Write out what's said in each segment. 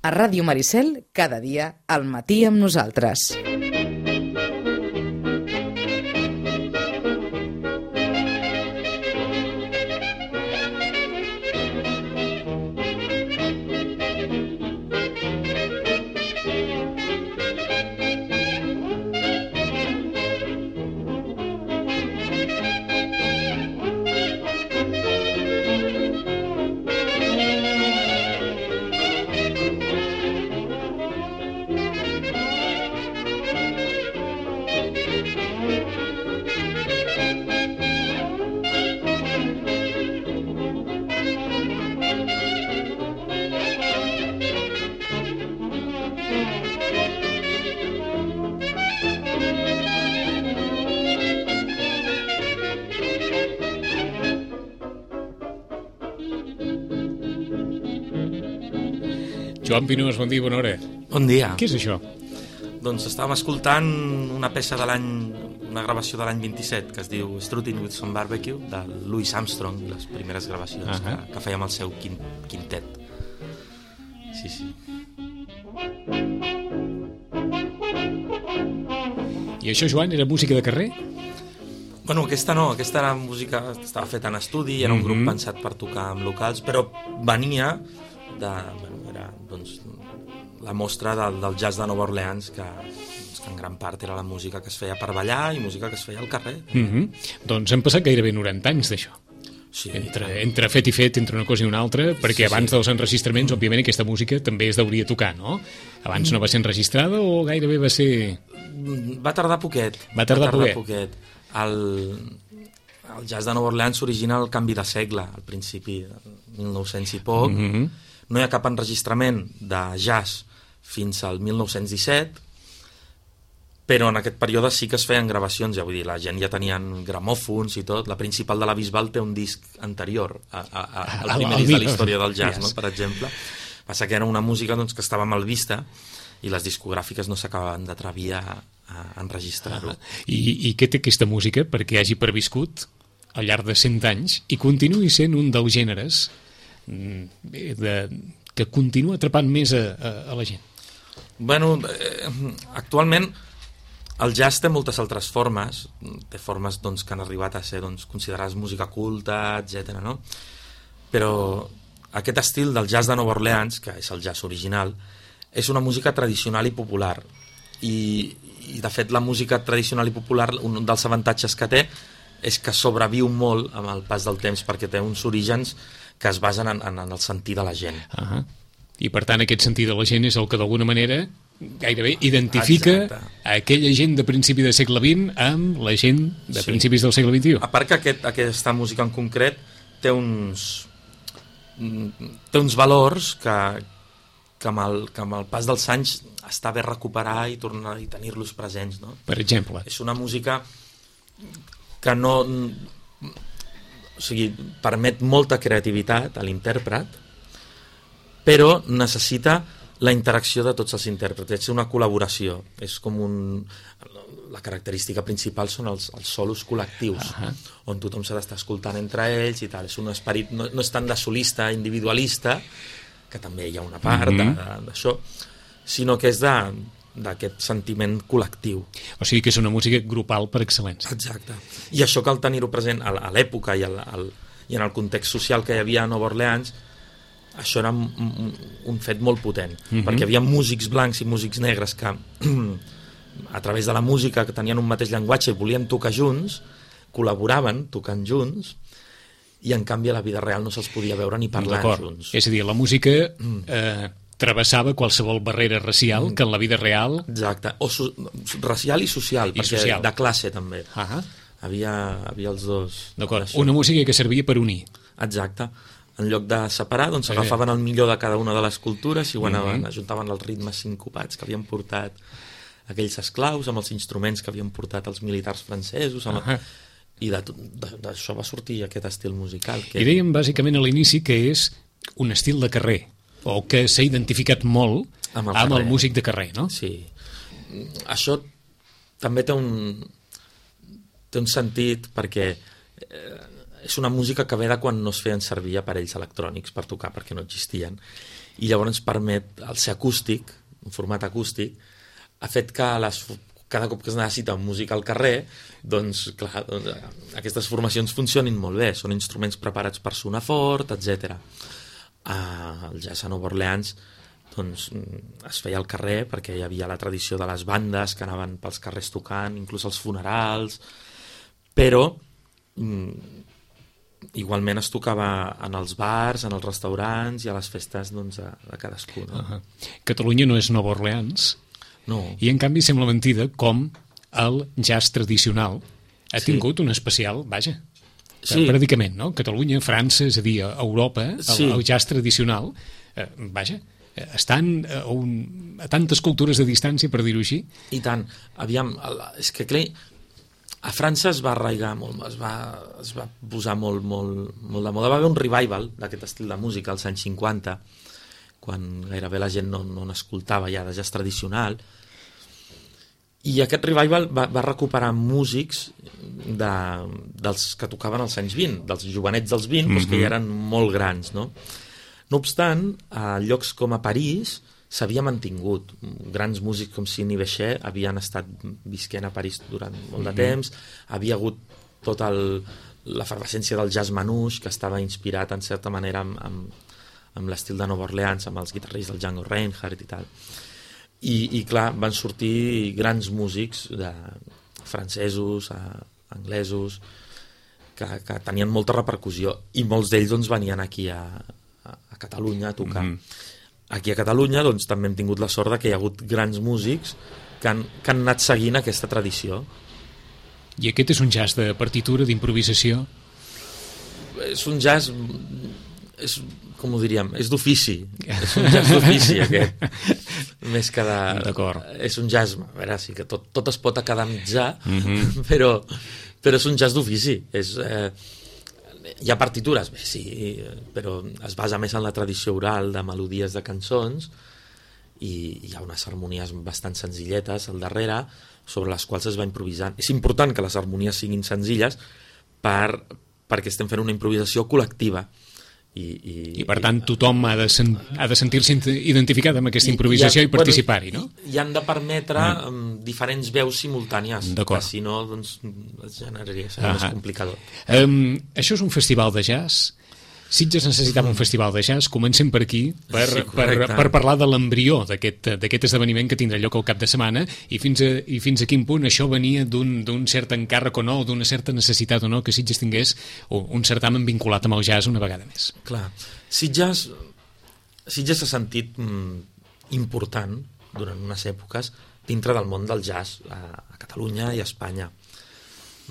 A Ràdio Maricel, cada dia, al matí amb nosaltres. Joan Pinós, bon dia, bona hora. Bon dia. Què és això? Doncs estàvem escoltant una peça de l'any, una gravació de l'any 27 que es diu Strutting with Some Barbecue de Louis Armstrong, les primeres gravacions que feia amb el seu quintet. Sí. I això, Joan, era música de carrer? Bueno, aquesta no, aquesta era música, estava feta en estudi, era un grup pensat per tocar amb locals, però venia era doncs, la mostra del jazz de Nova Orleans, que en gran part era la música que es feia per ballar i música que es feia al carrer. Doncs han passat gairebé 90 anys d'això. Sí, entre fet i fet, entre una cosa i una altra, perquè abans dels enregistraments, òbviament, aquesta música també es deuria tocar, no? Abans no va ser enregistrada o gairebé va ser... Va tardar poquet. Va tardar poquet. El jazz de Nova Orleans s'origina al canvi de segle, al principi, 1900 i poc. No hi ha cap enregistrament de jazz fins al 1917, però en aquest període sí que es feien gravacions, ja vull dir, la gent ja tenien gramòfons i tot. La principal de la Bisbal té un disc anterior al primer disc de la història del jazz, no? Per exemple. Passa que era una música doncs, que estava mal vista i les discogràfiques no s'acabaven d'atrevir a enregistrar-ho. I què té aquesta música perquè hagi perviscut al llarg de 100 anys i continuï sent un dels gèneres que continua atrapant més a la gent? Bueno, actualment el jazz té moltes altres formes, té formes doncs, que han arribat a ser doncs, considerades música culta, etc. No? Però aquest estil del jazz de Nova Orleans, que és el jazz original, és una música tradicional i popular. I de fet la música tradicional i popular, un dels avantatges que té és que sobreviu molt amb el pas del temps, perquè té uns orígens que es basen en el sentir de la gent. I per tant aquest sentir de la gent és el que d'alguna manera gairebé identifica aquella gent de principi del segle XX amb la gent de principis del segle XXI. A part que aquesta música en concret té uns valors que amb el pas dels anys està bé recuperar i tornar i tenir-los presents, no? Per exemple? És una música que no... O sigui, permet molta creativitat a l'intèrpret, però necessita la interacció de tots els intèrprets, és una col·laboració, és com la característica principal són els solos col·lectius, on tothom s'ha d'estar escoltant entre ells i tal, és un esperit, no és tant de solista individualista, que també hi ha una part d'això, sinó que és d'aquest sentiment col·lectiu. O sigui que és una música grupal per excel·lència. Exacte. I això cal tenir-ho present a l'època i en el context social que hi havia a Nova Orleans. Això era un fet molt potent, perquè hi havia músics blancs i músics negres que a través de la música que tenien un mateix llenguatge i volien tocar junts, col·laboraven tocant junts, i en canvi a la vida real no se'ls podia veure ni parlar junts. És a dir, la música travessava qualsevol barrera racial que en la vida real... Exacte, o racial i social, perquè de classe també. Havia els dos. D'acord, una música que servia per unir. Exacte. En lloc de separar, doncs agafaven el millor de cada una de les cultures i ajuntaven els ritmes sincopats que havien portat aquells esclaus amb els instruments que havien portat els militars francesos, i d'això va sortir aquest estil musical. I dèiem bàsicament a l'inici que és un estil de carrer, o que s'ha identificat molt amb el músic de carrer, no? Sí. Això també té un sentit perquè és una música que ve de quan no es feien servir aparells electrònics per tocar, perquè no existien, i llavors permet el ser acústic, un format acústic, ha fet que cada cop que es necessita música al carrer, doncs, clar, aquestes formacions funcionin molt bé, són instruments preparats per sonar fort, etc. El jazz a Nova Orleans doncs, es feia al carrer perquè hi havia la tradició de les bandes que anaven pels carrers tocant, inclús als funerals, però igualment es tocava en els bars, en els restaurants i a les festes doncs, de cadascú. No? Catalunya no és Nova Orleans, no. I en canvi sembla mentida com el jazz tradicional ha tingut un especial, predicament, no? Catalunya, França, és a dir, Europa, el jazz tradicional, estan a tantes cultures de distància, per dir-ho així. I tant. Aviam, és que clar, a França es va arraigar molt, es va posar molt de moda. Va haver un revival d'aquest estil de música als anys 50, quan gairebé la gent no n'escoltava ja de jazz tradicional, i aquest revival va recuperar músics dels que tocaven als anys 20, dels jovenets dels 20, doncs que ja eren molt grans, no? No obstant, a llocs com a París s'havia mantingut. Grans músics com Sidney Bechet havien estat visquent a París durant molt de temps, havia hagut tota l'efervescència del jazz manouche, que estava inspirat en certa manera amb l'estil de Nova Orleans, amb els guitarristes del Django Reinhardt i tal. I clar, van sortir grans músics francesos, anglesos, que tenien molta repercussió, i molts d'ells doncs, venien aquí a Catalunya a tocar. Aquí a Catalunya doncs, també hem tingut la sort que hi ha hagut grans músics que han anat seguint aquesta tradició. I aquest és un jazz de partitura, d'improvisació? És un jazz... com ho diríem? És d'ofici. És un jazz d'ofici, aquest. Més que de... D'acord. És un jazz... A veure, sí que tot es pot academitzar, però és un jazz d'ofici. Hi ha partitures, bé, sí, però es basa més en la tradició oral de melodies de cançons i hi ha unes harmonies bastant senzilletes al darrere sobre les quals es va improvisant. És important que les harmonies siguin senzilles perquè estem fent una improvisació col·lectiva. I per tant tothom ha de sentir-se identificat amb aquesta improvisació i participar-hi, no? I han de permetre diferents veus simultànies, que si no doncs, seria més complicador. Això és un festival de jazz. Sitges necessitava un festival de jazz. Comencem per aquí per parlar de l'embrió d'aquest esdeveniment que tindrà lloc al cap de setmana i fins a quin punt això venia d'un cert encàrrec o no, o d'una certa necessitat o no que Sitges tingués un certamen vinculat amb el jazz una vegada més. Clar, Sitges s'ha sentit important durant unes èpoques dintre del món del jazz a Catalunya i a Espanya.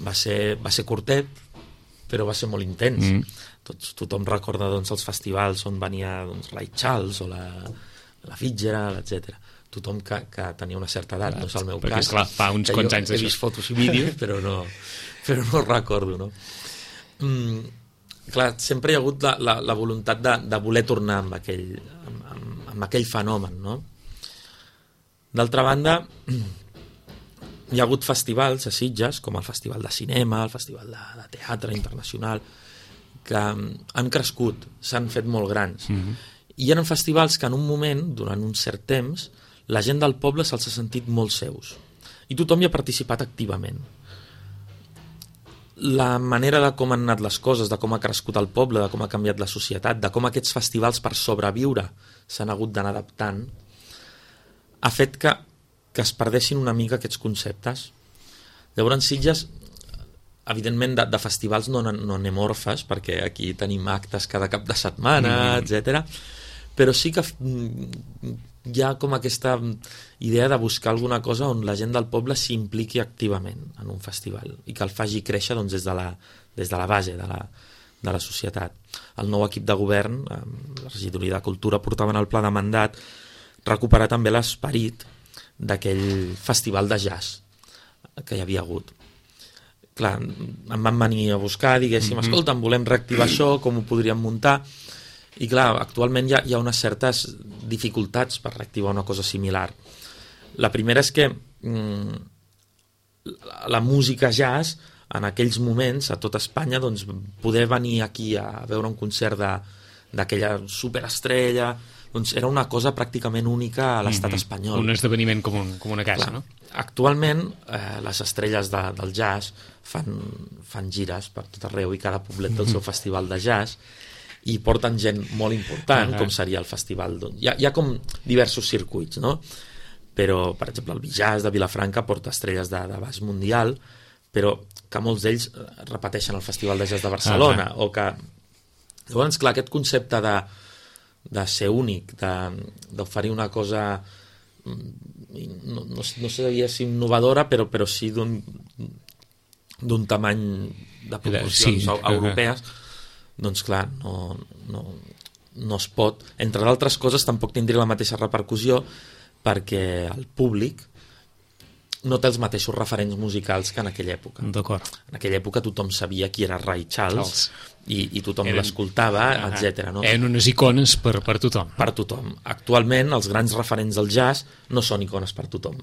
Va ser curtet, però va ser molt intens. Tothom recorda doncs, els festivals on venia doncs, Ray Charles o la Fitzgerald, etc. Tothom que tenia una certa edat, no és el meu cas. Perquè, esclar, fa uns quants anys he vist fotos i vídeos, però no recordo, no? Clar, sempre hi ha hagut la voluntat de voler tornar amb aquell fenomen, no? D'altra banda, hi ha hagut festivals a Sitges, com el Festival de Cinema, el Festival de Teatre Internacional, que han crescut, s'han fet molt grans. I eren festivals que en un moment, durant un cert temps, la gent del poble se'ls ha sentit molt seus. I tothom hi ha participat activament. La manera de com han anat les coses, de com ha crescut el poble, de com ha canviat la societat, de com aquests festivals per sobreviure s'han hagut d'anar adaptant, ha fet que es perdessin una mica aquests conceptes. Llavors, Sitges, evidentment, de festivals no anem orfes, perquè aquí tenim actes cada cap de setmana, etc. Però sí que hi ha com aquesta idea de buscar alguna cosa on la gent del poble s'impliqui activament en un festival i que el faci créixer doncs, des de la base de la societat. El nou equip de govern, la regidoria de Cultura, portaven el pla de mandat recuperar també l'esperit d'aquell festival de jazz que hi havia hagut. Clar, em van venir a buscar, diguéssim, escolta, volem reactivar això, com ho podríem muntar? I clar, actualment hi ha unes certes dificultats per reactivar una cosa similar. La primera és que la música jazz, en aquells moments, a tot Espanya, doncs, poder venir aquí a veure un concert d'aquella superestrella, doncs era una cosa pràcticament única a l'estat espanyol. Un esdeveniment com una casa, Clar, no? Actualment, les estrelles del jazz fan gires per tot arreu i cada poblet té el seu festival de jazz i porten gent molt important, com seria el festival. Hi ha com diversos circuits, no? Però, per exemple, el Bijazz de Vilafranca porta estrelles d'abast mundial, però que molts d'ells repeteixen el Festival de Jazz de Barcelona, o que... Llavors, clar, aquest concepte de ser únic, d'oferir una cosa, no sé si innovadora, però sí d'un tamany de proporcions europees, doncs clar, no es pot. Entre d'altres coses, tampoc tindria la mateixa repercussió perquè el públic no té els mateixos referents musicals que en aquella època. D'acord. En aquella època tothom sabia qui era Ray Charles i tothom l'escoltava, etc. No? Eren unes icones per tothom. Per tothom. Actualment, els grans referents del jazz no són icones per tothom.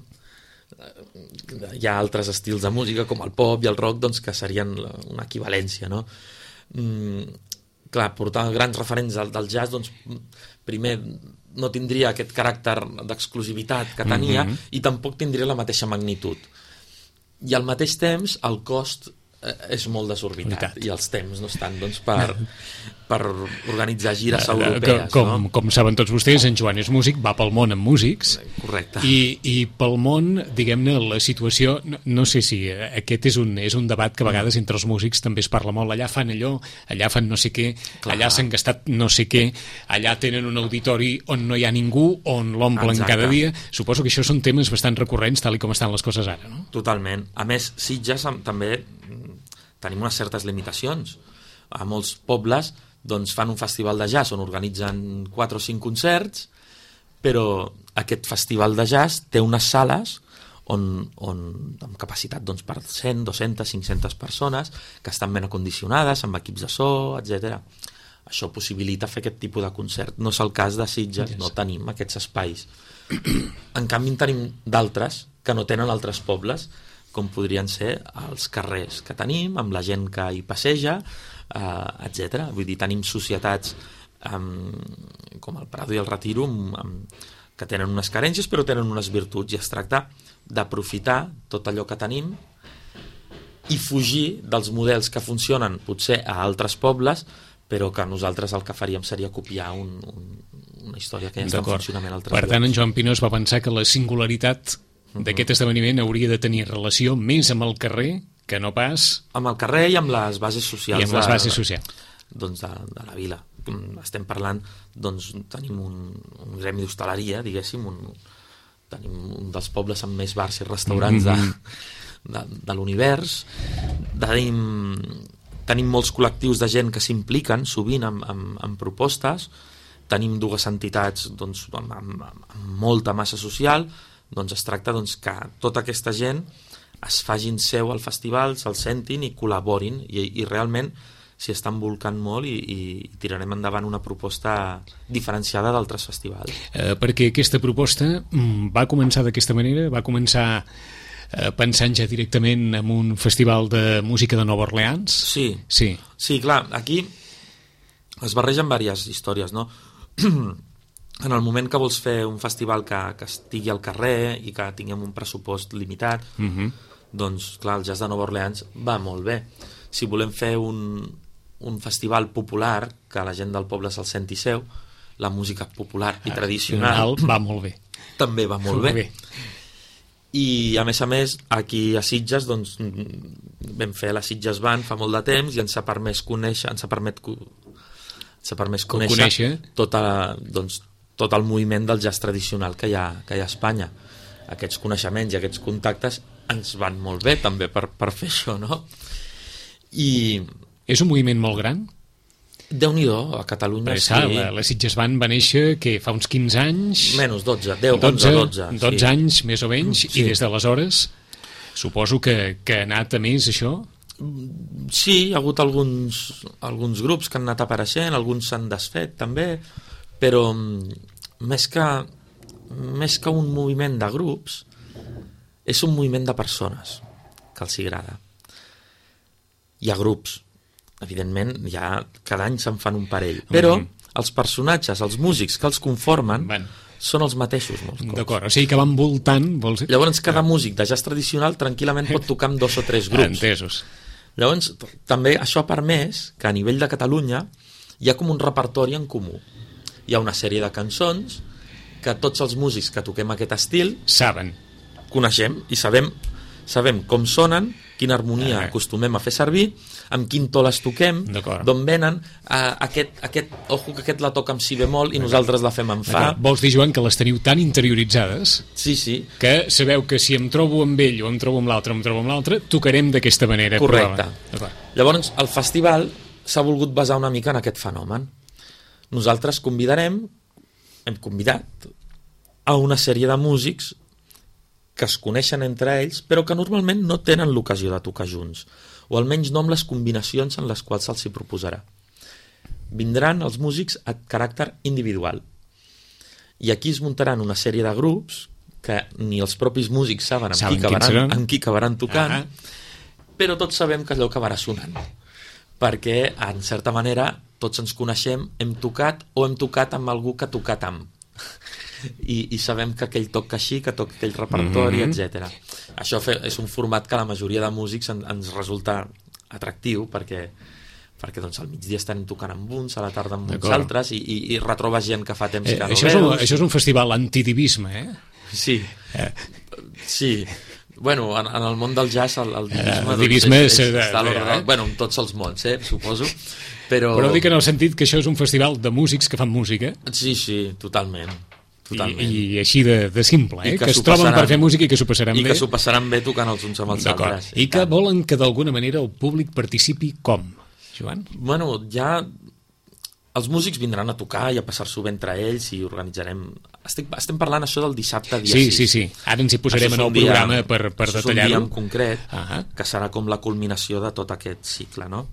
Hi ha altres estils de música, com el pop i el rock, doncs, que serien una equivalència, no? Clar, portar grans referents del jazz, doncs, primer no tindria aquest caràcter d'exclusivitat que tenia i tampoc tindria la mateixa magnitud. I al mateix temps el cost és molt desorbitat i els temps no estan doncs, per organitzar gires europees. Com saben tots vostès, en Joan és músic, va pel món amb músics. Correcte. I pel món, diguem-ne, la situació, no sé si aquest és un debat que a vegades entre els músics també es parla molt. Allà fan allò, allà fan no sé què, allà s'han gastat no sé què, allà tenen un auditori on no hi ha ningú, on l'omplen cada dia. Suposo que això són temes bastant recurrents, tal com estan les coses ara, no? Totalment. A més, Sitges també tenim unes certes limitacions. A molts pobles doncs, fan un festival de jazz on organitzen 4 o 5 concerts, però aquest festival de jazz té unes sales amb capacitat doncs, per 100, 200, 500 persones que estan ben acondicionades, amb equips de so, etc. Això possibilita fer aquest tipus de concert. No és el cas de Sitges, no tenim aquests espais. En canvi, en tenim d'altres que no tenen altres pobles, com podrien ser els carrers que tenim, amb la gent que hi passeja, etc. Vull dir, tenim societats com el Prado i el Retiro que tenen unes carències però tenen unes virtuts, i es tracta d'aprofitar tot allò que tenim i fugir dels models que funcionen potser a altres pobles, però que nosaltres el que faríem seria copiar una història que ja està en funcionament a altres llocs. Per tant, en Joan Pinós va pensar que la singularitat d'aquest esdeveniment hauria de tenir relació més amb el carrer que no pas... Amb el carrer i amb les bases socials. I amb les bases socials. Doncs de la vila. Estem parlant, doncs tenim un gremi d'hostaleria, diguéssim, tenim un dels pobles amb més bars i restaurants de l'univers. Tenim molts col·lectius de gent que s'impliquen sovint en propostes. Tenim 2 entitats doncs, amb molta massa social. Doncs es tracta que tota aquesta gent es facin seu al festival, se'l sentin i col·laborin, i realment s'hi estan volcant molt i tirarem endavant una proposta diferenciada d'altres festivals. Perquè aquesta proposta va començar d'aquesta manera, va començar pensant ja directament en un festival de música de Nova Orleans? Sí, clar, aquí es barregen diverses històries, no? En el moment que vols fer un festival que estigui al carrer i que tinguem un pressupost limitat, doncs, clar, el jazz de Nova Orleans va molt bé. Si volem fer un festival popular, que la gent del poble se'l senti seu, la música popular i tradicional va molt bé. També va molt bé. I, a més, aquí a Sitges, doncs, vam fer la Sitges Band fa molt de temps i ens ha permès conèixer, tot el moviment del jazz tradicional que hi ha a Espanya. Aquests coneixements i aquests contactes ens van molt bé també per fer això, no? I... És un moviment molt gran? Déu-n'hi-do, a Catalunya sí. La Sitges Band va néixer fa uns 15 anys... Menys, 12 anys, més o menys, i des d'aleshores suposo que ha anat a més, això? Sí, hi ha hagut alguns grups que han anat apareixent, alguns s'han desfet també, però més que un moviment de grups és un moviment de persones que els agrada. Hi ha grups, evidentment, cada any se'n fan un parell, però els personatges, els músics que els conformen, són els mateixos molts cops. D'acord, o sigui que van voltant... Llavors cada músic de jazz tradicional tranquil·lament pot tocar amb 2 o 3 grups. Entesos. Llavors també això ha permès que a nivell de Catalunya hi ha com un repertori en comú. Hi ha una sèrie de cançons que tots els músics que toquem aquest estil coneixem i sabem com sonen, quina harmonia acostumem a fer servir, amb quin to les toquem, d'on venen, ojo que aquest la toca amb si bemol i nosaltres la fem amb fa. Vols dir, Joan, que les teniu tan interioritzades que sabeu que si em trobo amb ell o em trobo amb l'altre, tocarem d'aquesta manera. Correcte. Llavors, el festival s'ha volgut basar una mica en aquest fenomen. Nosaltres hem convidat a una sèrie de músics que es coneixen entre ells, però que normalment no tenen l'ocasió de tocar junts, o almenys no amb les combinacions en les quals se'ls hi proposarà. Vindran els músics a caràcter individual, i aquí es muntaran una sèrie de grups que ni els propis músics saben amb qui acabaran tocant, però tots sabem que allò acabarà sonant, perquè, en certa manera, tots ens coneixem, hem tocat amb algú que ha tocat amb. I sabem que aquell toca així, que toca aquell repertori, etc. Això és un format que a la majoria de músics ens resulta atractiu perquè doncs, al migdia estan tocant amb uns, a la tarda amb uns altres i retrobes gent que fa temps que no veus. Això és un festival antidivisme, Sí. Sí. Bueno, en el món del jazz el divisme està a l'ordre, en tots els mons, suposo. Però dic en el sentit que això és un festival de músics que fan música. Sí, totalment. I així de simple, que es troben per fer música i que s'ho passaran bé. I que s'ho passaran bé tocant els uns amb els altres. I que volen que d'alguna manera el públic participi com, Joan? Bueno, ja els músics vindran a tocar i a passar-s'ho bé entre ells i organitzarem... Estem parlant això del dissabte dia 6. Sí. Ara ens hi posarem en el programa per detallar-ho. És un dia en concret que serà com la culminació de tot aquest cicle, no?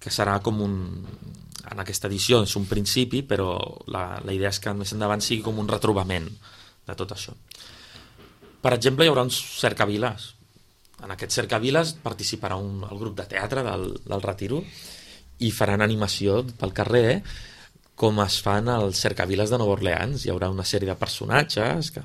Que serà com en aquesta edició és un principi, però la idea és que més endavant sigui com un retrobament de tot això. Per exemple, hi haurà uns cercaviles. En aquest cercaviles participarà el grup de teatre del Retiro i faran animació pel carrer com es fan als cercaviles de Nova Orleans. Hi haurà una sèrie de personatges que...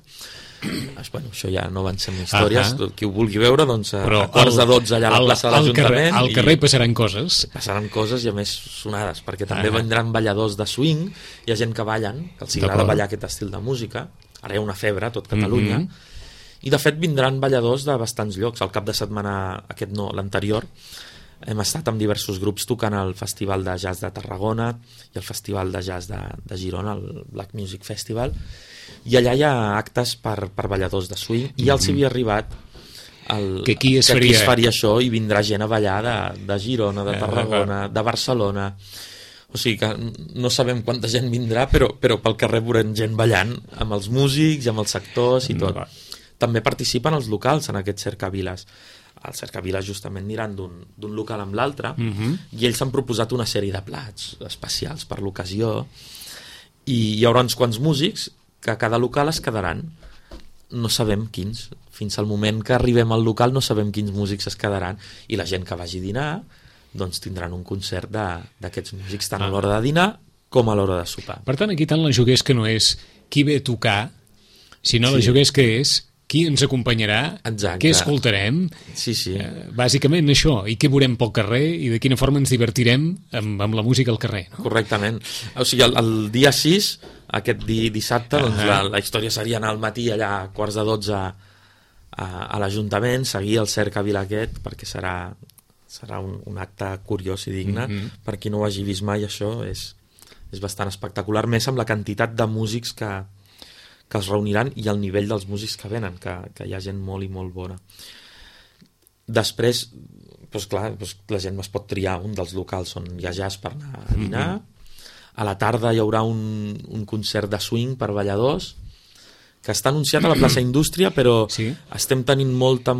Bueno, això ja no van ser històries. Qui ho vulgui veure, doncs a quarts de 12 allà a la plaça de l'Ajuntament. Al carrer passaran coses. Passaran coses i a més sonades, perquè també vindran balladors de swing, hi ha gent que ballen, que els agrada ballar aquest estil de música. Ara hi ha una febre a tot Catalunya. I de fet vindran balladors de bastants llocs. El cap de setmana, aquest no, l'anterior, hem estat amb diversos grups tocant al Festival de Jazz de Tarragona i el Festival de Jazz de Girona, el Black Music Festival, i allà hi ha actes per balladors de swing i ja els havia arribat que aquí es faria això i vindrà gent a ballar de Girona, de Tarragona, de Barcelona. O sigui que no sabem quanta gent vindrà, però pel carrer veurem gent ballant amb els músics i amb els actors i tot. També participen els locals en aquests cercaviles. Els cercaviles justament aniran d'un local amb l'altre i ells han proposat una sèrie de plats especials per l'ocasió i hi haurà uns quants músics que a cada local es quedaran. No sabem quins. Fins al moment que arribem al local no sabem quins músics es quedaran i la gent que vagi a dinar doncs tindran un concert d'aquests músics tant a l'hora de dinar com a l'hora de sopar. Per tant, aquí tant la juguesca no és qui ve a tocar, sinó la juguesca és qui ens acompanyarà, què escoltarem, bàsicament això, i què veurem pel carrer i de quina forma ens divertirem amb la música al carrer. No? Correctament. O sigui, el dia 6, aquest dissabte, doncs la història seria anar al matí allà a quarts de 12 a l'Ajuntament, seguir el cercavila aquest, perquè serà un acte curiós i digne. Per qui no ho hagi vist mai, això és bastant espectacular, més amb la quantitat de músics que es reuniran i el nivell dels músics que venen, que hi ha gent molt i molt bona. Després, doncs clar, la gent es pot triar un dels locals on hi ha jazz per anar a dinar. A la tarda hi haurà un concert de swing per balladors que està anunciat a la plaça Indústria, però estem tenint molta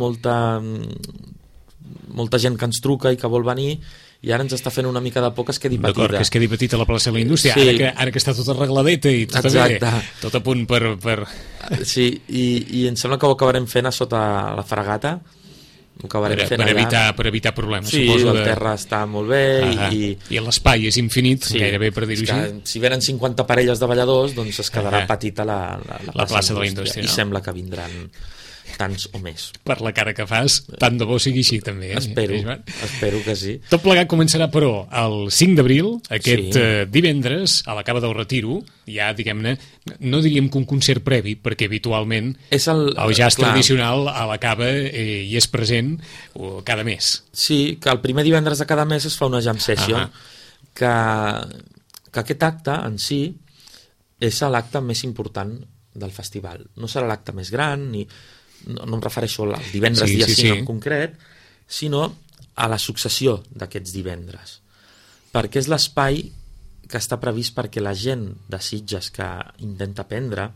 gent que ens truca i que vol venir i ara ens està fent una mica de por que es quedi petita. D'acord, que es quedi petita la plaça de la Indústria, ara que està tot arregladeta i tot bé, tot a punt per... Sí, i em sembla que ho acabarem fent a sota la Fragata Ho acabarem fent per evitar problemes. Sí, suposo, el terra està molt bé i l'espai és infinit, gairebé per dir-ho així. Si venen 50 parelles de balladors, doncs es quedarà petita la plaça de la indústria. I sembla que vindran tants o més. Per la cara que fas, tant de bo sigui així també. Espero que sí. Tot plegat començarà, però, el 5 d'abril, aquest divendres, a la Cava del Retiro, ja, diguem-ne, no diríem que un concert previ, perquè habitualment el jazz tradicional a la Cava hi és present cada mes. Sí, que el primer divendres de cada mes es fa una jam session, que aquest acte en si és l'acte més important del festival. No serà l'acte més gran, no em refereixo al divendres dia 5 en concret, sinó a la successió d'aquests divendres. Perquè és l'espai que està previst perquè la gent de Sitges que intenta aprendre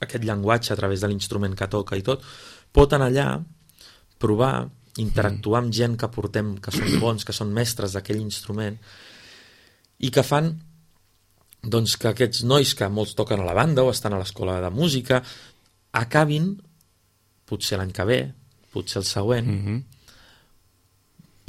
aquest llenguatge a través de l'instrument que toca i tot, pot anar allà, provar, interactuar amb gent que portem, que són bons, que són mestres d'aquell instrument, i que fan doncs, que aquests nois que molts toquen a la banda o estan a l'escola de música acabin, potser l'any que ve, potser el següent,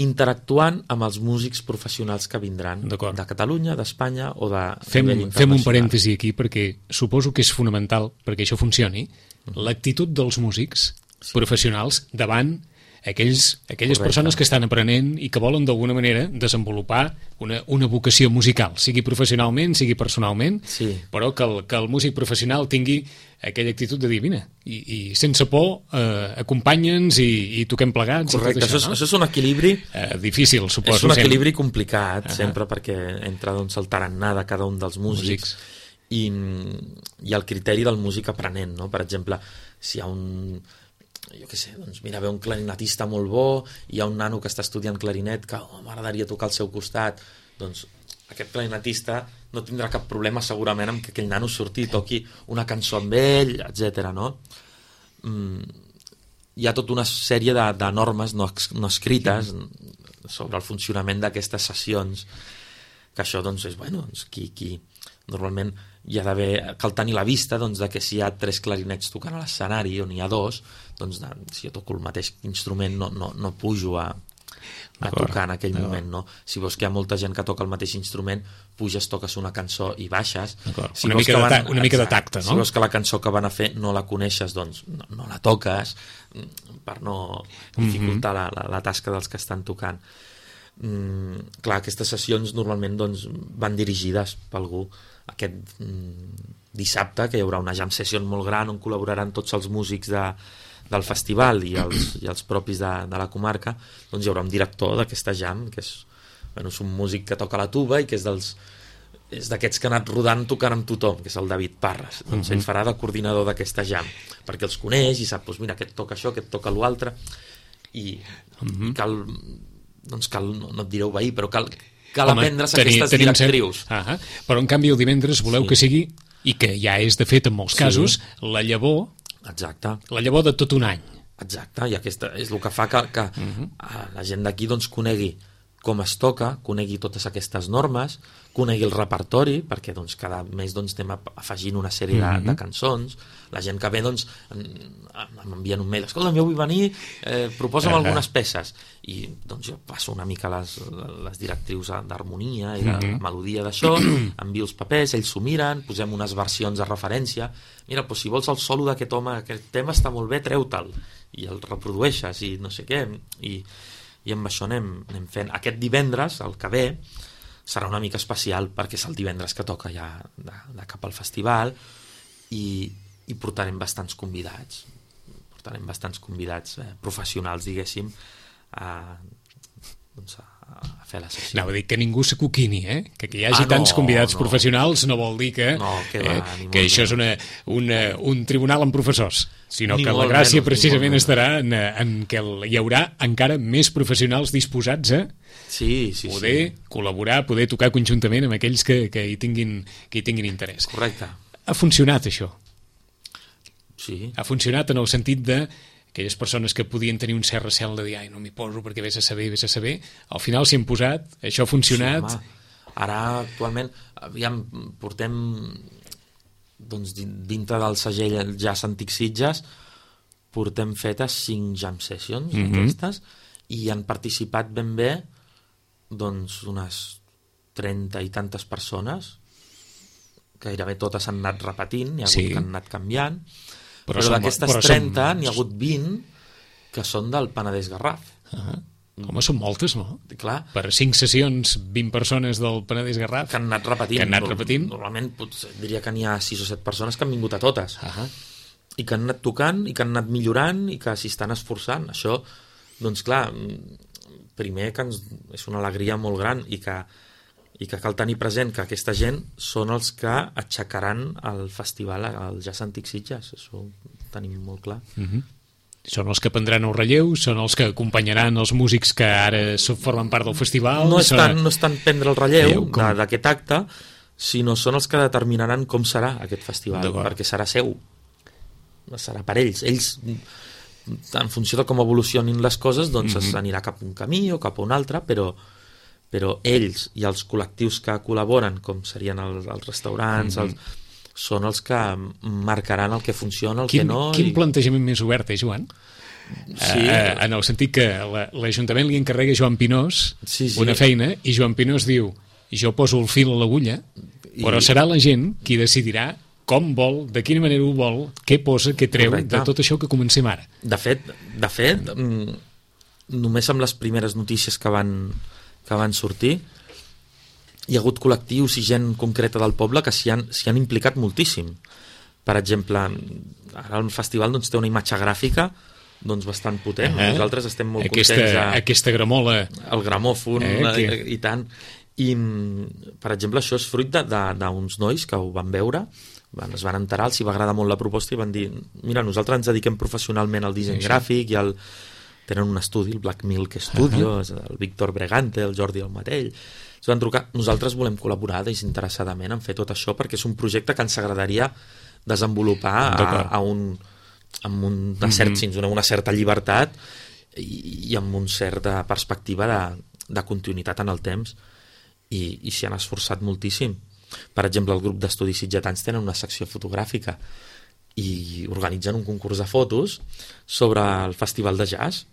interactuant amb els músics professionals que vindran de Catalunya, d'Espanya o de nivell internacional. Fem un parèntesi aquí, perquè suposo que és fonamental, perquè això funcioni, l'actitud dels músics professionals davant aquelles persones que estan aprenent i que volen d'alguna manera desenvolupar una vocació musical, sigui professionalment, sigui personalment, però que el músic professional tingui aquella actitud de dir, vine, i sense por acompanya'ns i toquem plegats. Correcte, això és un equilibri difícil, suposo. És un equilibri complicat, sempre, perquè entra el tarannà de cada un dels músics i el criteri del músic aprenent, no? Per exemple, si hi ha jo què sé, doncs mira, ve un clarinetista molt bo, hi ha un nano que està estudiant clarinet que m'agradaria tocar al seu costat, doncs aquest clarinetista no tindrà cap problema segurament amb que aquell nano surti i toqui una cançó amb ell, etc. no? Hi ha tota una sèrie de normes no escrites sobre el funcionament d'aquestes sessions, que això doncs és, qui normalment hi ha d'haver, cal tenir la vista de que si hi ha 3 clarinets tocant a l'escenari on hi ha 2, doncs si jo toco el mateix instrument no pujo a tocar en aquell moment, no? Si veus que hi ha molta gent que toca el mateix instrument, puges, toques una cançó i baixes. Una mica de tacte, no? Si veus que la cançó que van a fer no la coneixes, doncs no la toques, per no dificultar la tasca dels que estan tocant. Clar, aquestes sessions normalment van dirigides per algú. Aquest dissabte, que hi haurà una jam session molt gran on col·laboraran tots els músics del festival i els propis de la comarca, doncs hi haurà un director d'aquesta jam, que és un músic que toca la tuba i que és d'aquests que ha anat rodant tocant amb tothom, que és el David Parres. Doncs ell farà de coordinador d'aquesta jam, perquè els coneix i sap, mira, aquest toca això, aquest toca l'altre, i cal, no et diré obeir, però cal aprendre's aquestes directrius. Però en canvi el divendres voleu que sigui, i que ja és de fet en molts casos, la llavor de tot un any. Exacte, i aquesta és el que fa que la gent d'aquí conegui com es toca, conegui totes aquestes normes, conegui el repertori, perquè cada mes anem afegint una sèrie de cançons. La gent que ve m'envien un mail, escolta, jo vull venir, proposa'm algunes peces, i jo passo una mica les directrius d'harmonia i de melodia d'això, envio els papers, ells s'ho miren, posem unes versions de referència, mira, si vols el solo d'aquest home, aquest tema està molt bé, treu-te'l, i el reprodueixes, i no sé què, i amb això anem fent. Aquest divendres, el que ve, serà una mica especial perquè és el divendres que toca ja de cap al festival, i portarem bastants convidats professionals, diguéssim, a fer la sessió. Anava a dir que ningú s'acoquini, que hi hagi tants convidats professionals no vol dir que això és un tribunal amb professors, sinó que la gràcia precisament estarà en que hi haurà encara més professionals disposats a poder col·laborar, poder tocar conjuntament amb aquells que hi tinguin interès. Correcte. Ha funcionat això? Sí. Ha funcionat en el sentit de aquelles persones que podien tenir un cert recel de dir no m'hi poso perquè vés a saber, al final s'hi han posat, això ha funcionat. Sí, ara actualment portem dintre del segell Jazz Antic Sitges portem fetes 5 jam sessions d'aquestes, i han participat ben bé doncs unes 30 i tantes persones, gairebé totes han anat repetint, n'hi ha hagut que han anat canviant, però d'aquestes 30 n'hi ha hagut 20 que són del Penedès Garraf. Home, són moltes, no? Clar. Per 5 sessions, 20 persones del Penedès Garraf que han anat repetint. Normalment potser diria que n'hi ha 6 o 7 persones que han vingut a totes. I que han anat tocant, i que han anat millorant, i que s'hi estan esforçant. Això, doncs clar, primer que és una alegria molt gran, i que cal tenir present que aquesta gent són els que aixecaran el festival al Jazz Antic Sitges. Això ho tenim molt clar. Són els que prendran el relleu, són els que acompanyaran els músics que ara formen part del festival. No és tant prendre el relleu d'aquest acte, sinó són els que determinaran com serà aquest festival, perquè serà seu, serà per ells. Ells, en funció de com evolucionin les coses, doncs s'anirà cap a un camí o cap a un altre, però ells i els col·lectius que col·laboren, com serien els restaurants, són els que marcaran el que funciona, el que no... Quin plantejament més obert, Joan? Sí. En el sentit que l'Ajuntament li encarrega a Joan Pinós una feina, i Joan Pinós diu, jo poso el fil a l'agulla, però serà la gent qui decidirà com vol, de quina manera ho vol, què posa, què treu, de tot això que comencem ara. De fet, només amb les primeres notícies que van sortir, hi ha hagut col·lectius i gent concreta del poble que s'hi han implicat moltíssim. Per exemple, ara el festival té una imatge gràfica bastant potent. Nosaltres estem molt contents. Aquesta gramola. El gramòfon, i tant. I, per exemple, això és fruit d'uns nois que ho van veure, es van enterar, els hi va agradar molt la proposta i van dir, mira, nosaltres ens dediquem professionalment al disseny gràfic i tenen un estudi, el Black Milk Studio, el Víctor Bregante, el Jordi Almatell. Ens van trucar, nosaltres volem col·laborar desinteressadament en fer tot això perquè és un projecte que ens agradaria desenvolupar amb una certa llibertat i amb una certa perspectiva de continuïtat en el temps, i s'hi han esforçat moltíssim. Per exemple, el grup d'estudis sitgetans tenen una secció fotogràfica i organitzen un concurs de fotos sobre el festival de jazz,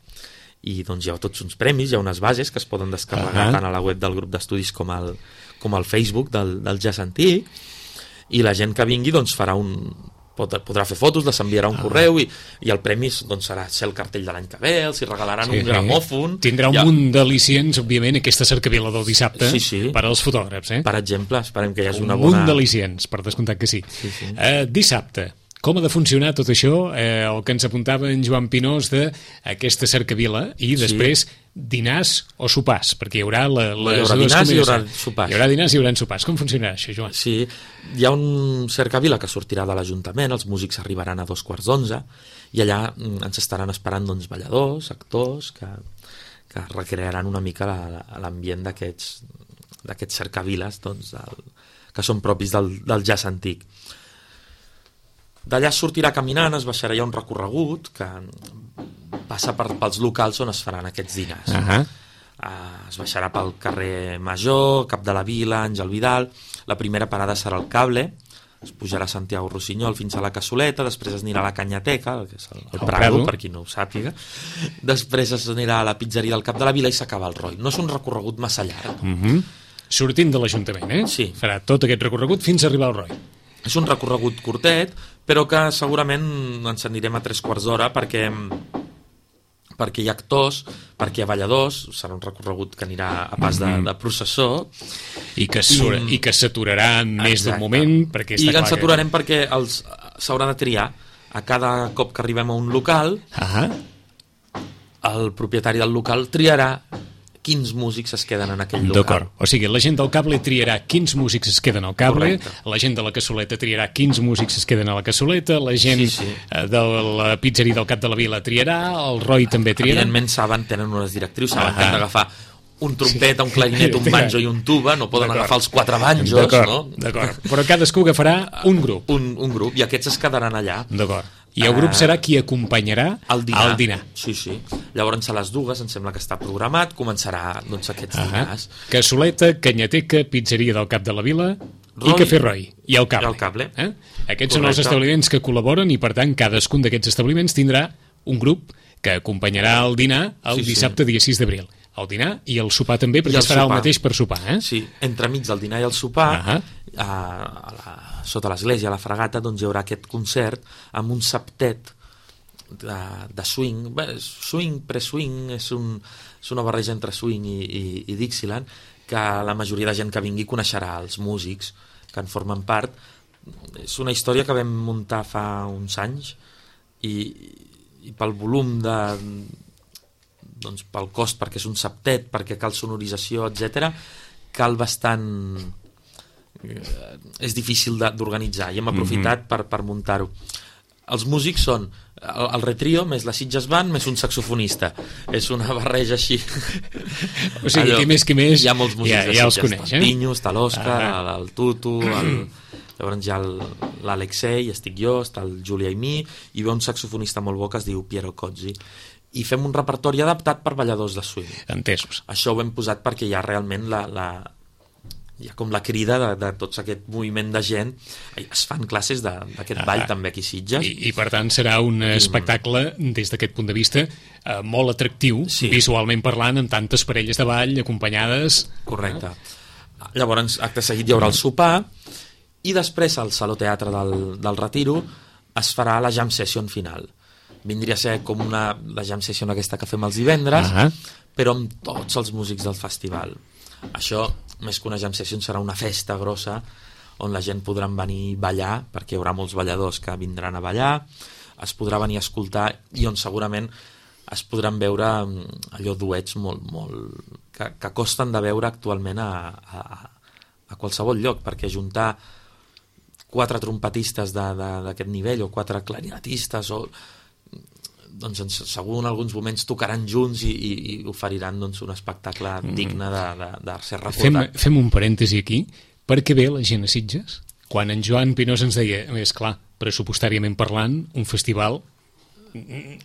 i doncs hi ha tots uns premis, hi ha unes bases que es poden descarregar tant a la web del grup d'estudis com al Facebook del Jazz Antic, i la gent que vingui podrà fer fotos, les enviarà un correu, i el premi serà ser el cartell de l'any que ve, els hi regalaran un gramòfon. Tindrà un munt d'al·licients, òbviament, aquesta cercavila del dissabte per als fotògrafs. Per exemple, esperem que hi hagi una bona... Un munt d'al·licients, per descomptat que sí. Dissabte, com ha de funcionar tot això, el que ens apuntava en Joan Pinós d'aquesta cercavila, i després dinars o sopars, perquè hi haurà les dues combinacions. Hi haurà sopars. Hi haurà dinars i hi haurà sopars. Com funcionarà això, Joan? Sí, hi ha un cercavila que sortirà de l'Ajuntament, els músics arribaran a 2:15, i allà ens estaran esperant balladors, actors, que recrearan una mica l'ambient d'aquests cercaviles que són propis del jazz antic. D'allà sortirà caminant, es baixarà, hi ha un recorregut que passa pels locals on es faran aquests dinars. Es baixarà pel carrer Major, Cap de la Vila, Àngel Vidal. La primera parada serà el Cable, es pujarà a Santiago Rossinyol fins a la Cassoleta, després es anirà a la Canyateca, que és el Prado, per qui no ho sàpiga, després es anirà a la pizzeria del Cap de la Vila i s'acaba el Roi. No és un recorregut massa llarg. Sortint de l'Ajuntament, Sí. Farà tot aquest recorregut fins a arribar al Roi. És un recorregut curtet, però que segurament ens anirem a 3/4 d'hora perquè hi ha actors, perquè hi ha balladors, serà un recorregut que anirà a pas de processó. I que s'aturarà en més d'un moment. Perquè I ens aturarem perquè s'haurà de triar. A cada cop que arribem a un local, el propietari del local triarà quins músics es queden en aquell local. D'acord. O sigui, la gent del Cable triarà quins músics es queden al Cable, la gent de la Cassoleta triarà quins músics es queden a la Cassoleta, la gent de la pizzeria del Cap de la Vila triarà, el Roi també triarà. Evidentment tenen unes directrius, saben que han d'agafar un trompeta, un clarinet, un banjo i un tuba, no poden agafar els 4 banjos, no? D'acord. Però cadascú agafarà un grup. Un grup, i aquests es quedaran allà. D'acord. I el grup serà qui acompanyarà al dinar. Sí. Llavors a les 2, em sembla que està programat, començarà aquests dinars. Cassoleta, Canyateca, pizzeria del Cap de la Vila i Cafè Roi. I el Cable. Aquests són els establiments que col·laboren, i per tant cadascun d'aquests establiments tindrà un grup que acompanyarà el dinar el dissabte dia 6 d'abril. El dinar i el sopar també, perquè es farà el mateix per sopar, Sí, entremig del dinar i el sopar, sota l'església, a la Fragata, doncs hi haurà aquest concert amb un septet de swing. Swing, pre-swing, és una barreja entre swing i Dixieland, que la majoria de gent que vingui coneixerà els músics que en formen part. És una història que vam muntar fa uns anys i pel volum doncs pel cost, perquè és un septet, perquè cal sonorització, etc, cal bastant... és difícil d'organitzar, i hem aprofitat per muntar-ho. Els músics són el retrio més la Sitges Band més un saxofonista. És una barreja així. O sigui, qui més hi ha molts músics ja els coneix, el Pinyo, està l'Òscar, el Tutu, llavors hi ha l'Alexei, estic jo, està el Julià i mi, i ve un saxofonista molt bo que es diu Piero Cozzi, i fem un repertori adaptat per balladors de swing. Entesos. Això ho hem posat perquè hi ha realment hi ha com la crida de tots aquest moviment de gent. Es fan classes d'aquest ball també aquí a Sitges. I per tant serà un espectacle des d'aquest punt de vista molt atractiu, visualment parlant, amb tantes parelles de ball acompanyades. Correcte. Llavors, acte seguit hi haurà el sopar, i després al Saló Teatre del Retiro es farà la jam session final. Vindria a ser com la jam session aquesta que fem els divendres, però amb tots els músics del festival. Això, més que una jam session, serà una festa grossa on la gent podrà venir a ballar, perquè hi haurà molts balladors que vindran a ballar, es podrà venir a escoltar, i on segurament es podran veure allò duets que costen de veure actualment a qualsevol lloc, perquè juntar 4 trompetistes d'aquest nivell o 4 clarinetistes doncs segur en alguns moments tocaran junts i oferiran doncs, un espectacle digne de ser recordat. Fem un parèntesi aquí. Per què ve la gent a Sitges? Quan en Joan Pinós ens deia, és clar, pressupostàriament parlant, un festival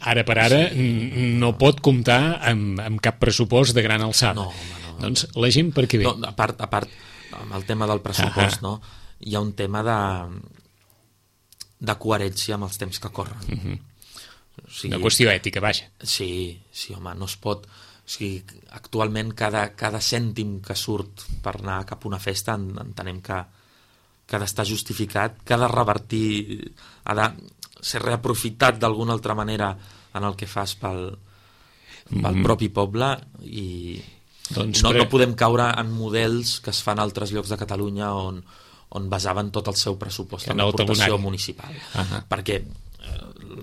ara per ara no pot comptar amb cap pressupost de gran alçada. No. Doncs la gent per què ve? No, a part, amb el tema del pressupost, no? Hi ha un tema de coherència amb els temps que corren. O sigui, una qüestió ètica, vaja. Sí, home, no es pot... O sigui, actualment cada cèntim que surt per anar cap a una festa entenem que ha d'estar justificat, que ha de revertir, ha de ser reaprofitat d'alguna altra manera en el que fas pel propi poble, i no podem caure en models que es fan a altres llocs de Catalunya on basaven tot el seu pressupost en l'aportació municipal. Perquè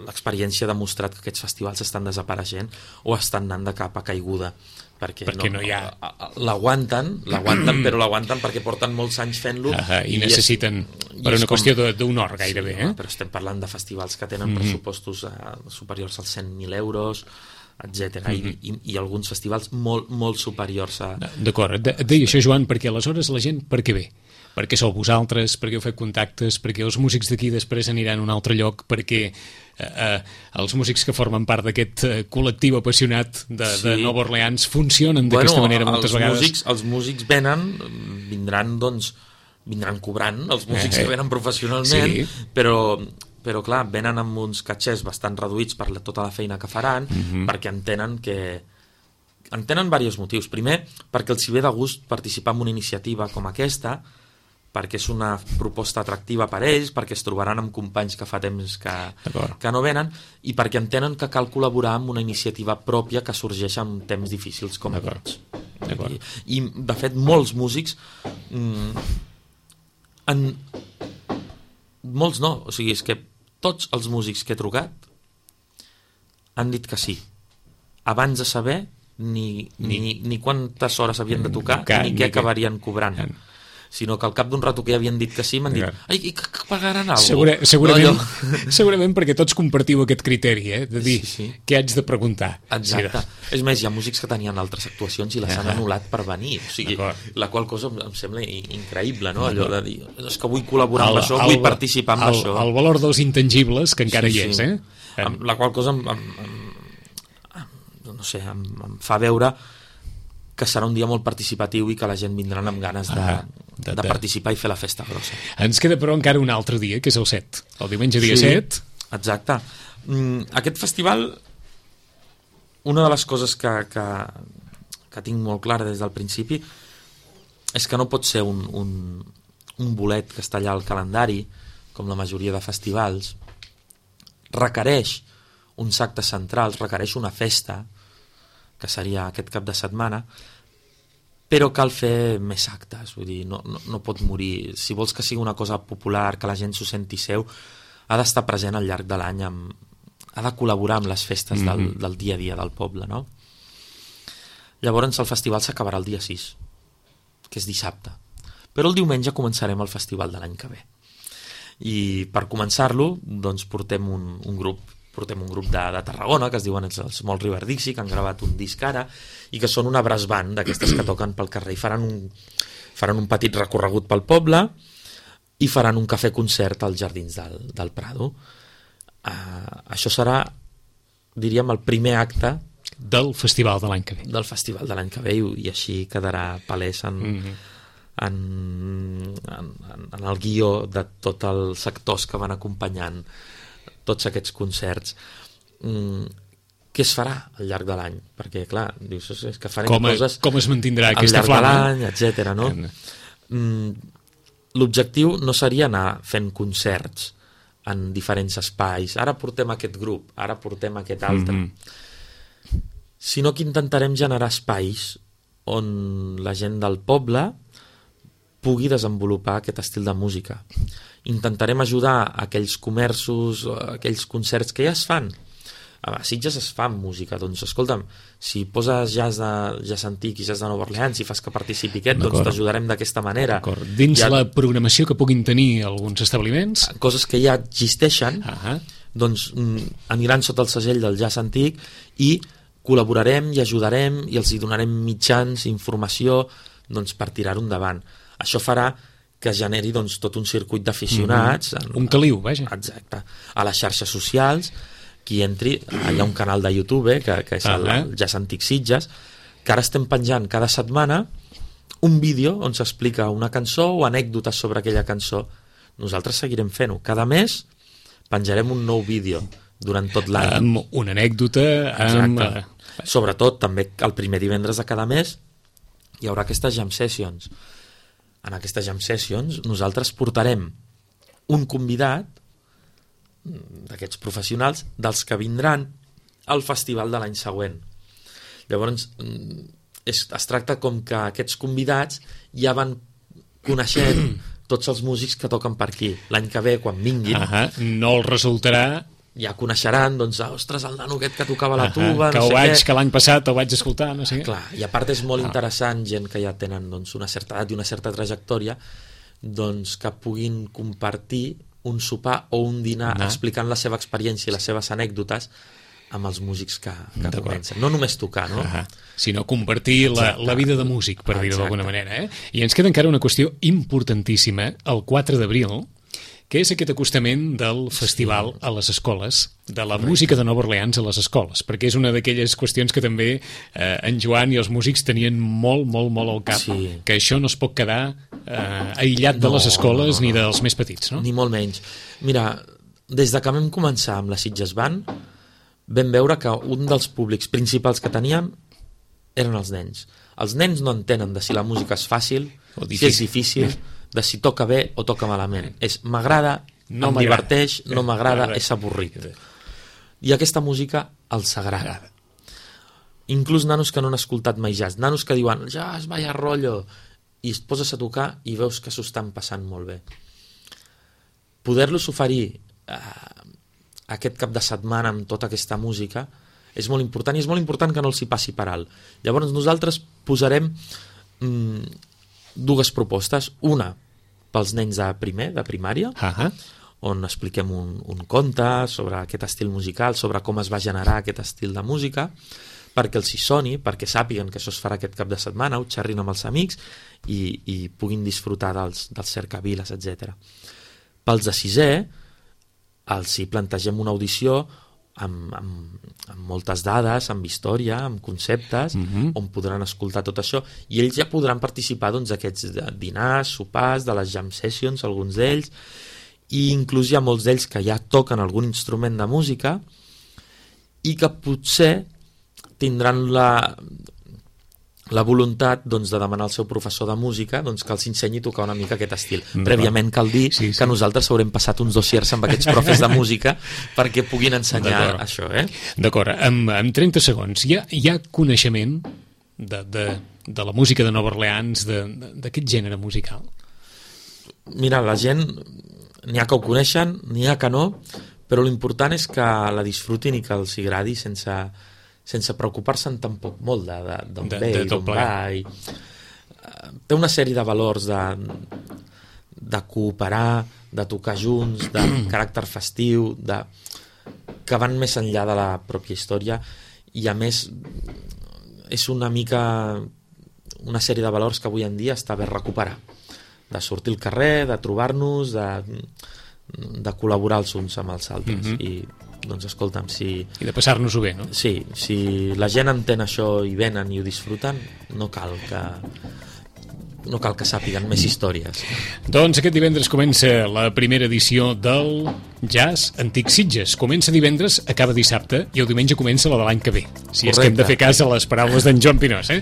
l'experiència ha demostrat que aquests festivals estan desapareixent o estan anant de capa caiguda, perquè no hi ha... l'aguanten, però l'aguanten perquè porten molts anys fent-lo i necessiten per una qüestió d'un or gairebé. Però estem parlant de festivals que tenen pressupostos superiors als 100.000 euros, etc. I alguns festivals molt, molt superiors a... D'acord, et deia això, Joan, perquè aleshores la gent per què ve? Perquè sou vosaltres, perquè heu fet contactes, perquè els músics d'aquí després aniran a un altre lloc, perquè els músics que formen part d'aquest col·lectiu apassionat de Nova Orleans funcionen d'aquesta manera moltes vegades. Els músics vindran cobrant, els músics que venen professionalment, però clar, venen amb uns catxers bastant reduïts per tota la feina que faran, perquè entenen diversos motius. Primer, perquè els hi ve de gust participar en una iniciativa com aquesta, perquè és una proposta atractiva per ells, perquè es trobaran amb companys que fa temps que no venen, i perquè entenen que cal col·laborar amb una iniciativa pròpia que sorgeix en temps difícils com aquests. I de fet, molts músics molts no, o sigui, és que tots els músics que he trucat han dit que sí, abans de saber ni quantes hores havien de tocar ni què acabarien cobrant, sinó que al cap d'un rato que ja havien dit que sí, m'han dit, ai, que pagaran alguna cosa. Segurament perquè tots compartiu aquest criteri, de dir què haig de preguntar. Exacte. És més, hi ha músics que tenien altres actuacions i les han anul·lat per venir, o sigui, la qual cosa em sembla increïble, no? Allò de dir, és que vull col·laborar amb això, vull participar en això. El valor dels intangibles, que encara hi és, La qual cosa em fa veure que serà un dia molt participatiu i que la gent vindrà amb ganes de participar i fer la festa grossa. Ens queda però encara un altre dia, que és el 7, el diumenge dia 7. Exacte. Aquest festival una de les coses que tinc molt clara des del principi és que no pot ser un bolet que està allà al calendari, com la majoria de festivals. Requereix uns actes centrals, requereix una festa, que seria aquest cap de setmana, però cal fer més actes, vull dir, no pot morir. Si vols que sigui una cosa popular, que la gent s'ho senti seu, ha d'estar present al llarg de l'any, ha de col·laborar amb les festes del dia a dia del poble, no? Llavors el festival s'acabarà el dia 6, que és dissabte, però el diumenge començarem el festival de l'any que ve. I per començar-lo, doncs portem un grup de Tarragona, que es diuen els Small River Dixie, que han gravat un disc ara, i que són una brass band d'aquestes que toquen pel carrer, i faran un petit recorregut pel poble, i faran un cafè-concert als jardins del Prado. Això serà, diríem, el primer acte del festival de l'any que ve. Del festival de l'any que ve, i així quedarà palès en el guió de tots els sectors que van acompanyant tots aquests concerts. Què es farà al llarg de l'any? Perquè, clar, dius, és que farem coses com es mantindrà aquesta flama? Al llarg de l'any, etcètera, no? L'objectiu no seria anar fent concerts en diferents espais. Ara portem aquest grup, ara portem aquest altre. Sinó que intentarem generar espais on la gent del poble pugui desenvolupar aquest estil de música. Intentarem ajudar aquells comerços, aquells concerts que ja es fan. A Sitges es fa música, doncs escolta'm, si poses jazz antic i jazz de Nova Orleans i fas que participi aquest, doncs t'ajudarem d'aquesta manera. Dins la programació que puguin tenir alguns establiments, coses que ja existeixen, doncs aniran sota el segell del jazz antic i col·laborarem i ajudarem i els hi donarem mitjans, informació, doncs, per tirar-ho endavant. Això farà que es generi doncs, tot un circuit d'aficionats. Un caliu, vaja. Exacte. A les xarxes socials, qui entri, hi ha un canal de YouTube, que és el Jazz Antic Sitges, que ara estem penjant cada setmana un vídeo on s'explica una cançó o anècdotes sobre aquella cançó. Nosaltres seguirem fent-ho. Cada mes penjarem un nou vídeo durant tot l'any. Amb una anècdota. Exacte. Sobretot, també el primer divendres de cada mes hi haurà aquestes jam sessions. En aquestes jam sessions nosaltres portarem un convidat d'aquests professionals dels que vindran al festival de l'any següent. Llavors es tracta com que aquests convidats ja van coneixent tots els músics que toquen per aquí. L'any que ve, quan vinguin, no els resultarà, ja coneixeran, doncs, ostres, el nano aquest que tocava la tuba, que que l'any passat ho vaig escoltar, no sé què. Clar, i a part és molt interessant, gent que ja tenen doncs, una certa edat i una certa trajectòria, doncs, que puguin compartir un sopar o un dinar explicant la seva experiència i les seves anècdotes amb els músics que comencen. No només tocar, no? Sinó compartir la vida de músic, per dir-ho d'alguna manera. I ens queda encara una qüestió importantíssima, el 4 d'abril, que és aquest acostament del festival a les escoles, de la música de Nova Orleans a les escoles, perquè és una d'aquelles qüestions que també en Joan i els músics tenien molt al cap, que això no es pot quedar aïllat de les escoles ni dels més petits, no? Ni molt menys. Mira, des de que vam començar amb la Sitges Band, vam veure que un dels públics principals que teníem eren els nens. Els nens no entenen de si la música és fàcil, si és difícil, de si toca bé o toca malament. És m'agrada, em diverteix, no m'agrada, és avorrit. I aquesta música els agrada. Inclús nanos que no han escoltat mai jazz, nanos que diuen jazz, vaya rollo, i es poses a tocar i veus que s'ho estan passant molt bé. Poder-los oferir aquest cap de setmana amb tota aquesta música és molt important, i és molt important que no els hi passi per alt. Llavors nosaltres posarem dues propostes, una pels nens de primer, de primària, on expliquem un conte sobre aquest estil musical, sobre com es va generar aquest estil de música, perquè els hi soni, perquè sàpiguen que això es farà aquest cap de setmana, ho xerrin amb els amics i puguin disfrutar dels cercaviles, etc. Pels de sisè, els hi plantegem una audició amb moltes dades, amb història, amb conceptes, on podran escoltar tot això, i ells ja podran participar d'aquests dinars, sopars, de les jam sessions, alguns d'ells, i inclús hi ha molts d'ells que ja toquen algun instrument de música i que potser tindran la voluntat doncs, de demanar al seu professor de música doncs, que els ensenyi a tocar una mica aquest estil. Prèviament cal dir que nosaltres haurem passat uns dossiers amb aquests profes de música perquè puguin ensenyar això. D'acord, en 30 segons, hi ha coneixement de la música de Nova Orleans, d'aquest gènere musical? Mira, la gent n'hi ha que ho coneixen, n'hi ha que no, però l'important és que la disfrutin i que els agradi sense preocupar-se'n tampoc molt d'on ve i d'on va. Té una sèrie de valors de cooperar, de tocar junts, de caràcter festiu, que van més enllà de la pròpia història, i a més és una mica una sèrie de valors que avui en dia està bé recuperar, de sortir al carrer, de trobar-nos, de col·laborar els uns amb els altres. I doncs escolta'm, I de passar-nos-ho bé, no? Sí, si la gent entén això i venen i ho disfruten, no cal que sàpiguen més històries. Doncs aquest divendres comença la primera edició del Jazz Antic Sitges. Comença divendres, acaba dissabte, i el diumenge comença la de l'any que ve. Si és que hem de fer cas a les paraules d'en Joan Pinós.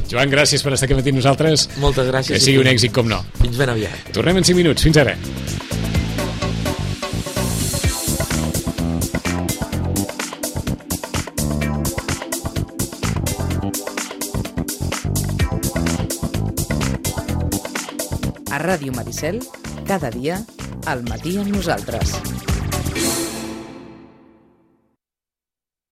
Joan, gràcies per estar aquí amb nosaltres. Moltes gràcies. Que sigui un èxit, com no. Fins ben aviat. Tornem en 5 minuts. Fins ara. A Ràdio Maricel, cada dia, al matí amb nosaltres.